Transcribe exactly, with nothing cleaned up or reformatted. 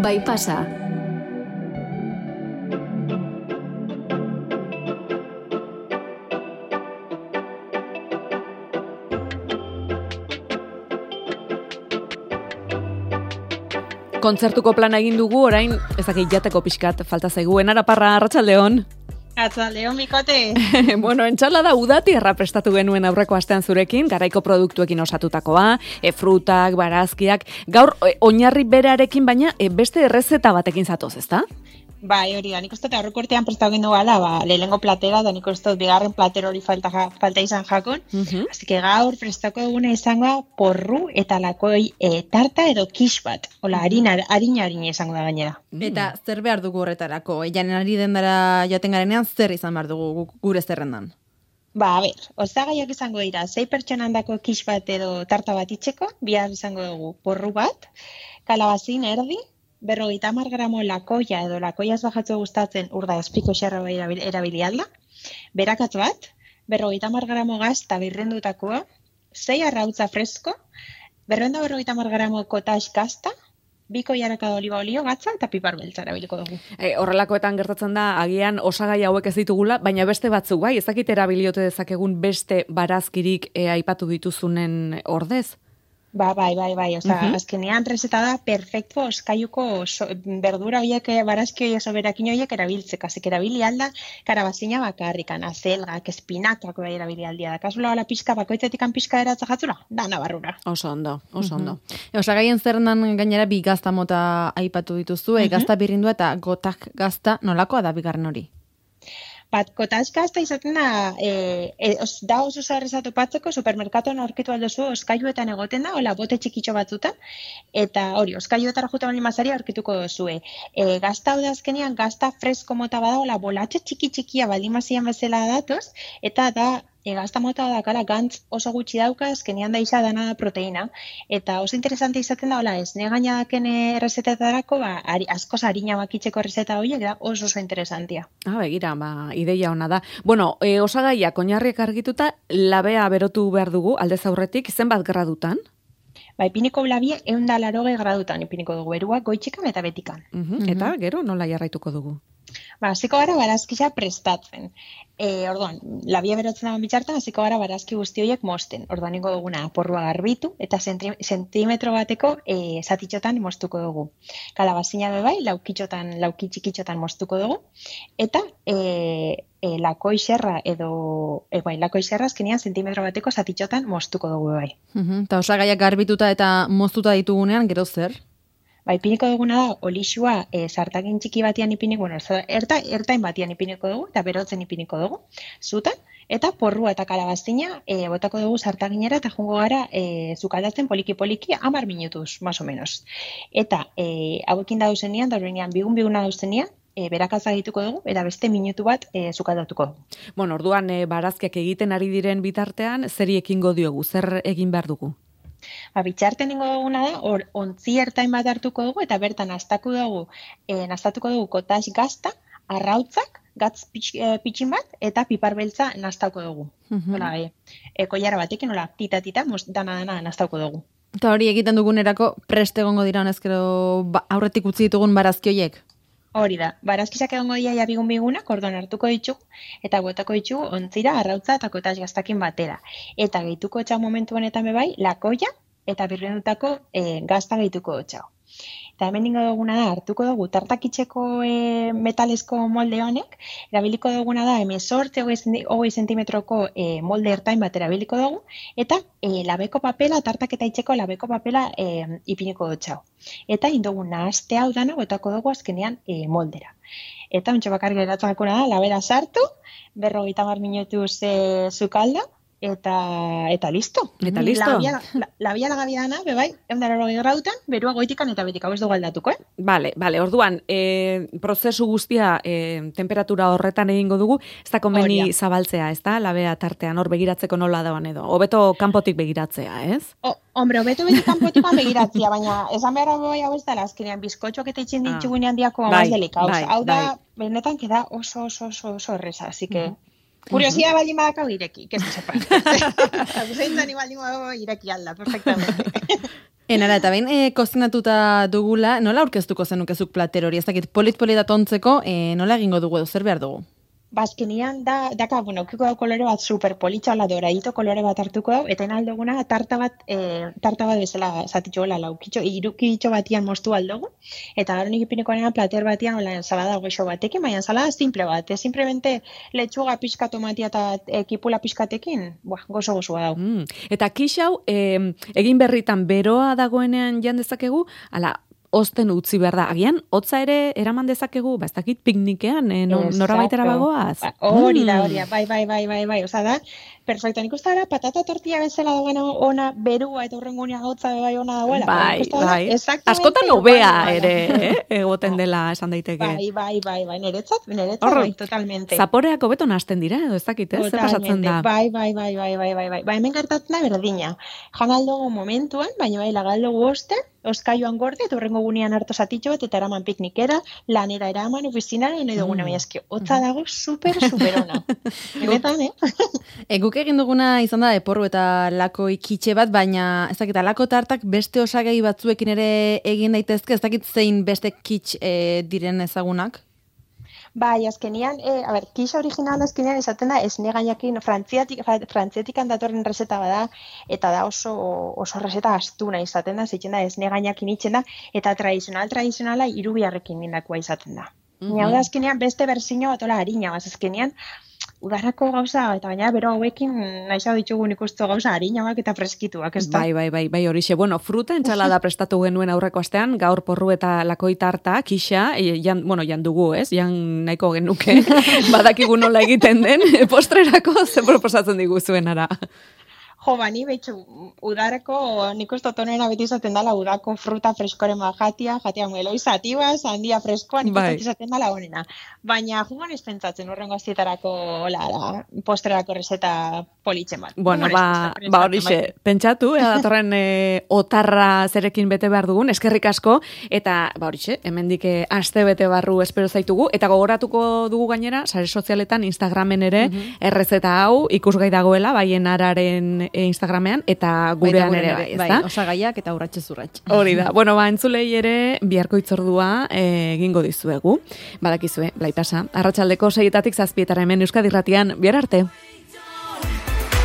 bai pasa. Kontzertuko plana egin dugu, orain ezakit jateko pixkat falta zaigu. Enara Parra, arratsaldeon. Arratsaldeon, bikote. Bueno, entsalada udati erra prestatu genuen aurreko astean zurekin, garaiko produktuekin osatutakoa, e, frutak, barazkiak, gaur e, oinarri berearekin, baina e, beste errezeta batekin zatoz, ezta? Bai, hori da, nik uste aurreko urtean prestatu gendu gala, ba, lehenengo platera, da nik uste bigarren plater hori falta, falta izan jakon. Uh-huh. Así que gaur prestako duguna izango porru eta lakoi e, tarta edo kix bat. Hola, harina, harina harina izango da gainera. Mm. Eta zer behar dugu horretarako? Janen ari dendara joaten garenean, zer izan behar dugu gure zerrendan? Ba, a ber, osagaiak izango dira, sei pertsonan dako kix bat edo tarta bat itxeko, bihar izango dugu porru bat, kalabazin erdi, berrogeita hamar gramo lakoia edo lakoia ez bajatzu gustatzen urda espiko xerra erabili alda, berakatz bat, berrogeita hamar gramo gazta birrendutakoa, sei arrautza fresko, berrenda berrogeita hamar gramo kotax gazta, biko jaraka oliba olio gatza eta pipar beltza erabiliko dugu. E, horrelakoetan gertatzen da, agian osagai hauek ez ditugula, baina beste batzuk bai, ezakit erabiliote dezakegun beste barazkirik e, aipatu dituzunen ordez? Ba, bai, bai, bai, oza, uh-huh. azkenean reseta da perfecto oskaiuko so, berdura horiek, barazki horiek soberakin horiek erabiltzek, azik erabili alda, karabazina bakarrikan, azelgak, espinakak bai erabili aldia da, kasula hola pixka, bakoitzetikan pixka eratza jatzula, da nabarrura. Oso ondo, oso ondo. Uh-huh. Osagaien zerrendan gainera bi gazta mota aipatu dituzu, uh-huh. gazta birrindua eta gotak gazta nolakoa da bigarren hori? Bat, kotax gazta izaten da, e, e, os, da oso zarreza topatzeko, supermerkatuan aurkitu aldozu, oskailuetan egoten da, hola, bote txikitxo batzutan, eta hori, oskailuetara juta bali mazari aurkituko dozue. E, gazta hau da azkenean, gazta fresko mota bada, hola, bolatxe txiki-txikia bali mazian bezala datoz, eta da, e, gazta mota dakala gantz oso gutxi dauka, azkenean da isa dana da proteina, eta oso interesante izaten da, hola, ez nega daken errezetetarako, ba, ari, askoz harina bakitzeko errezeta horiek, da oso oso interesantia. Ah, begira, ba, ideia ona da. Bueno, e, osagaiak oinarriak argituta, labea berotu behar dugu, aldez aurretik, zenbat gradutan? Ba, ipiniko labie ehun eta laurogei gradutan ipiniko dugu, beruak goitxikan eta betikan. Uh-huh. Eta, gero, nola jarraituko dugu? Ba, hasiko gara barazkisa prestatzen. E, orduan, labia berotzen dagoen bitxartan, hasiko gara barazki guzti horiek mosten. Orduan, ingo duguna porrua garbitu eta zentri, zentimetro bateko e, zatitxotan mostuko dugu. Kalabazina bebai, laukitxotan, laukitxikitxotan mostuko dugu. Eta e, e, lakoi xerra edo, e, bai, lakoi xerra azkenean zentimetro bateko zatitxotan mostuko dugu bai. Uh-huh. Eta osagaiak garbituta eta moztuta ditugunean, gero zer? Ba, ipiniko duguna da, olixua e, sartakin txiki batian ipiniko, bueno, erta, ertain batian ipiniko dugu, eta berotzen ipiniko dugu, zutan, eta porrua eta kalabazina e, botako dugu sartakinera, eta jungo gara e, zukaldatzen poliki-poliki, hamar minutuz, más o menos. Eta e, hauekin dauzenean, dauzenean, bigun-biguna dauzenean, e, berakatza egituko dugu, eta beste minutu bat e, zukaldatuko dugu. Bueno, orduan, e, barazkiak egiten ari diren bitartean, zeri ekingo diogu, zer egin behar dugu? Ba, bitxarten ingo duguna da, hor, ontzi ertain bat hartuko dugu, eta bertan nastatuko dugu, e, nastatuko dugu kotax gazta, arrautzak, gatz pitx, e, pitxin bat, eta pipar beltza nastatuko dugu. Uh-huh. Hola, e, e, koiara batekin, hola, tita-tita, dana-dana nastatuko dugu. Eta hori egiten dugunerako preste egongo dira honezkero ba, aurretik utzi ditugun barazki horiek? Hori da, barazkizak egongo dira ja bigun-bigunak, orduan hartuko ditugu, eta botako ditugu ontzira, arrautza eta kotax gaztakin batera. Eta gehituko txau momentu honetan bebai, lakoia eta birrendutako e, gazta gehituko txau. Eta hemen dingo duguna da, hartuko dugu tartakitzeko e, metalesko molde honek, erabiliko duguna da, hemezortzi hogei zentimetroko e, molde ertain bat erabiliko dugu, eta e, labeko papela, tartaketa itzeko labeko papela e, ipiniko dutxau. Eta indogu nahazte hau dana, botako dugu azkenean e, moldera. Eta ontsa bakar geratzakuna da, labera sartu, berrogeita hamar minutuz e, zukalda, Eta, eta listo. Eta listo. Labia lagabia dana, bebai, eundara grautan, berua goitikan eta betik, hau ez dugu aldatuko, eh? Bale, bale, orduan, e, prozesu guztia e, temperatura horretan egingo dugu, ez da konbeni zabaltzea, ez da, labea tartean hor begiratzeko nola dagoen edo. Hobeto kanpotik begiratzea, ez? O, hombre, hobeto betik kanpotik begiratzea, baina esan behar bai hau ez dela, azkenean bizkotxoak eta itxin ditugunean diako bai, más delikauz. Bai, hau da, bai. benetan, keda oso, oso, oso, oso erreza, así que... Mm. Curiosidad uh-huh. baldin badakau ireki, que se sepa. Zaintzan baldin badakau ireki alda, perfectamente. Enara, eta behin e, kozinatuta dugula, nola aurkeztuko zenukezuk plater hori? Ez dakit, polit-polita tontzeko, e, nola egingo dugu edo, zer behar dugu? Bazkenian da, daka, bueno, kiko da kolore bat super politxa, la doradito kolore bat hartuko dau, eta enalduguna tarta bat, e, tarta bat bezala zatitxo gola laukitxo, irukitxo batian mostu aldugu, eta gero nik ipiniko nena plater batian hola ensalada goxo batekin, baina ensalada simple bat, e, simplemente letxuga pixka tomatia eta e, kipula pixkatekin, buah, gozo gozoa dau. Mm. Eta kixau, e, egin berritan beroa dagoenean jan dezakegu, ala, osten utzi behar da. Agian, hotza ere eraman dezakegu, ba, ez dakit piknikean, eh, no, nora baitera bagoaz. Ba, hori da, hori da, bai, bai, bai, bai, bai, oza da, perfecto, nik uste dara, patata tortilla bezala dagoena ona berua eta horrengunea gautza bai ona dagoela. Bai, bai, askotan hobea ere, eh, egoten dela esan daiteke. Bai, bai, bai, bai, niretzat, niretzat, bai, totalmente. Zaporeak hobeto nahasten dira, edo ez dakit, ez, zer pasatzen da. Bai, bai, bai, bai, bai, bai, bai, bai, hemen gertatzen da berdina. Jan aldogu momentuan, baina bai, lagaldogu oste, oskaioan gorde, eta horrengo gunean hartu zatitxo bat, eta eraman piknikera, lanera eraman, ofizinara, nahi duguna, baina eski, hotza dago super, super ona. Benetan, eh? E, guk egin duguna izan da eporru eta lako ikitxe bat, baina ez dakit, lako tartak beste osagai batzuekin ere egin daitezke, ez dakit zein beste kitx e, diren ezagunak? Bai, azkenian, e, a ber, kisa original azkenian esaten da, esne gainakin, frantziatik, frantziatikan datorren reseta bada, eta da oso, oso reseta astuna izaten da, zitzen da, esne gainakin itzen da, eta tradizional, tradizionala irubiarrekin nindakoa izaten da. Mm-hmm. Nau da azkenian beste berzino bat ola harina, baz azkenian, udarako gauza, eta baina bero hauekin nahiza ditugun ikustu gauza harinak eta freskituak, ez da? Bai, bai, bai, bai, horixe. Bueno, fruta entsalada prestatu genuen aurreko astean, gaur porru eta lakoi tarta, kixa, jan, bueno, jan dugu, ez? Jan nahiko genuke, badakigu nola egiten den, postrerako ze proposatzen diguzuen ara. Jo, bani, behitxu, udarako, nik uste tonena beti izaten dela, udako fruta freskoren bat jatia, jatia mueloi zatiba, sandia freskoa, nik uste izaten dela honena. Baina, jugan ez pentsatzen urrengo azietarako, la, postrerako reseta politxen bat. Bueno, ba, ba horixe, pentsatu, ea datorren e, otarra zerekin bete behar dugun, eskerrik asko, eta, ba horixe, hemendik aste bete barru espero zaitugu, eta gogoratuko dugu gainera, sare sozialetan, Instagramen ere, uh-huh. errezeta hau, ikusgai dagoela, baien araren Instagramean, eta gurean ere bai, bai, osagaiak eta urratxe zurratxe. Hori da. Bueno, ba, entzulei ere, biharko itzordua egingo dizuegu. Badakizue, Blaitasa, arratsaldeko seietatik zazpietara hemen Euskadi Irratian, bihar arte.